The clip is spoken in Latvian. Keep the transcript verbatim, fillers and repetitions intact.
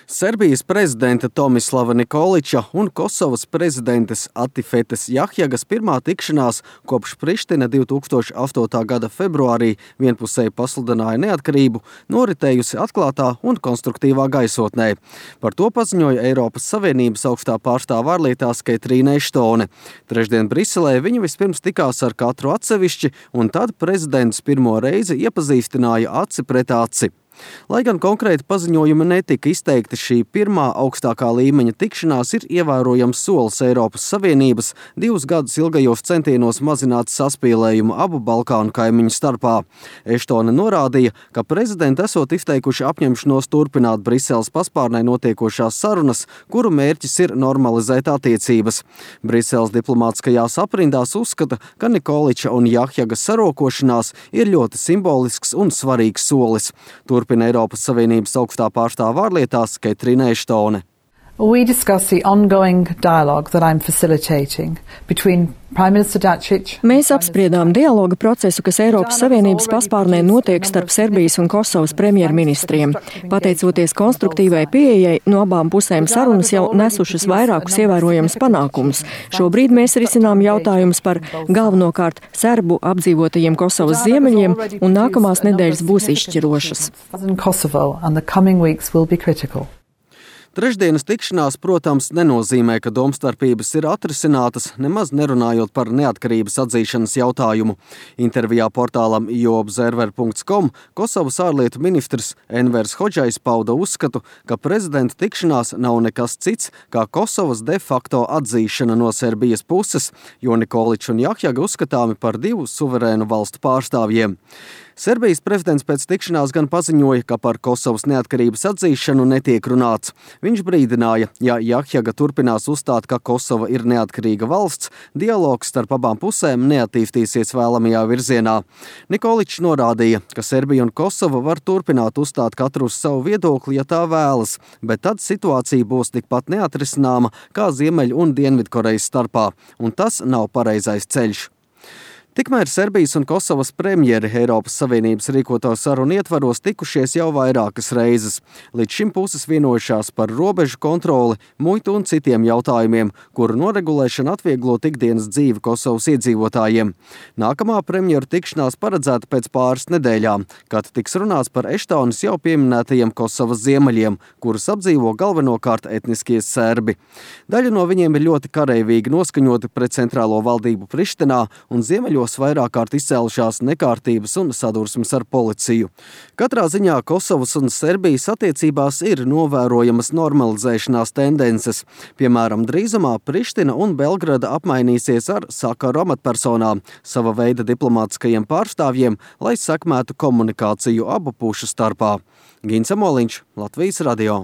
Serbijas prezidenta Tomislava Nikolića un Kosovas prezidentes Atifetes Jahjagas pirmā tikšanās kopš Priština divi tūkstoši astotā gada februārī vienpusēji pasludināja neatkarību, noritējusi atklātā un konstruktīvā gaisotnē. Par to paziņoja Eiropas Savienības augstā pārstāve ārlietās Ketrīna Eštone. Trešdien Briselē viņa vispirms tikās ar katru atsevišķi, un tad prezidents pirmo reizi iepazīstināja aci pret aci. Lai gan konkrēti paziņojumi netika izteikti, šī pirmā augstākā līmeņa tikšanās ir ievērojams solis Eiropas Savienības divus gadus ilgajos centienos mazināt saspīlējumu abu Balkānu kaimiņu starpā. Eštone norādīja, ka prezidenti esot izteikuši apņemšanos turpināt Briseles paspārnē notiekošās sarunas, kuru mērķis ir normalizēt attiecības. Briseles diplomātiskajās aprindās uzskata, ka Nikolića un Jahjagas sarokošanās ir ļoti simbolisks un svarīgs solis. Turpina Eiropas Savienības augstā pārstāve ārlietās Ketrīna Eštone. We discuss the ongoing dialogue that I'm facilitating between Prime Minister Dačić. Mēs apspriedām dialoga procesu, kas Eiropas Savienības paspārnē notiek starp Serbijas un Kosovas premjerministriem. Pateicoties konstruktīvai pieejai, no abām pusēm sarunas jau nesušas vairākus ievērojamus panākumus. Šobrīd mēs risinām jautājumus par galvenokārt serbu apdzīvotajiem Kosovas ziemeļiem, un nākamās nedēļas būs izšķirošas. Trešdienas tikšanās, protams, nenozīmē, ka domstarpības ir atrisinātas, nemaz nerunājot par neatkarības atzīšanas jautājumu. Intervijā portālam i o observer punkts com Kosovas ārlietu ministrs Envers Hodžajs pauda uzskatu, ka prezidenta tikšanās nav nekas cits kā Kosovas de facto atzīšana no Serbijas puses, jo Nikolić un Jahjaga uzskatāmi par divu suverēnu valstu pārstāvjiem. Serbijas prezidents pēc tikšanās gan paziņoja, ka par Kosovas neatkarības atzīšanu netiek runāts. Viņš brīdināja, ja Jahjaga turpinās uzstāt, ka Kosova ir neatkarīga valsts, dialogs starp abām pusēm neattīstīsies vēlamajā virzienā. Nikolić norādīja, ka Serbija un Kosova var turpināt uzstāt katru uz savu viedokli, ja tā vēlas, bet tad situācija būs tikpat neatrisināma kā Ziemeļu un Dienvidkorejas starpā, un tas nav pareizais ceļš. Tikmēr Serbijas un Kosovas premjeri Eiropas Savienības rīkoto sarunu ietvaros tikušies jau vairākas reizes. Līdz šim puses vienojušās par robežu kontroli, muitu un citiem jautājumiem, kuru noregulēšana atvieglot ikdienas dzīvi Kosovas iedzīvotājiem. Nākamā premjeru tikšanās paredzēta pēc pāris nedēļām, kad tiks runāts par Eštones jau pieminētajiem Kosovas ziemeļiem, kurus apdzīvo galvenokārt etniskie serbi. Daļa no viņiem ir ļoti kareivīgi noskaņoti pret centrālo valdību Prištinā un ziemeļos vairāk kārt izcēlušās nekārtības un sadursmes ar policiju. Katrā ziņā Kosovas un Serbijas attiecībās ir novērojamas normalizēšanās tendences. Piemēram, drīzumā Priština un Belgrada apmainīsies ar sakaru amatpersonām, sava veida diplomātiskajiem pārstāvjiem, lai sekmētu komunikāciju abu pušu starpā. Gins Amoliņš, Latvijas radio.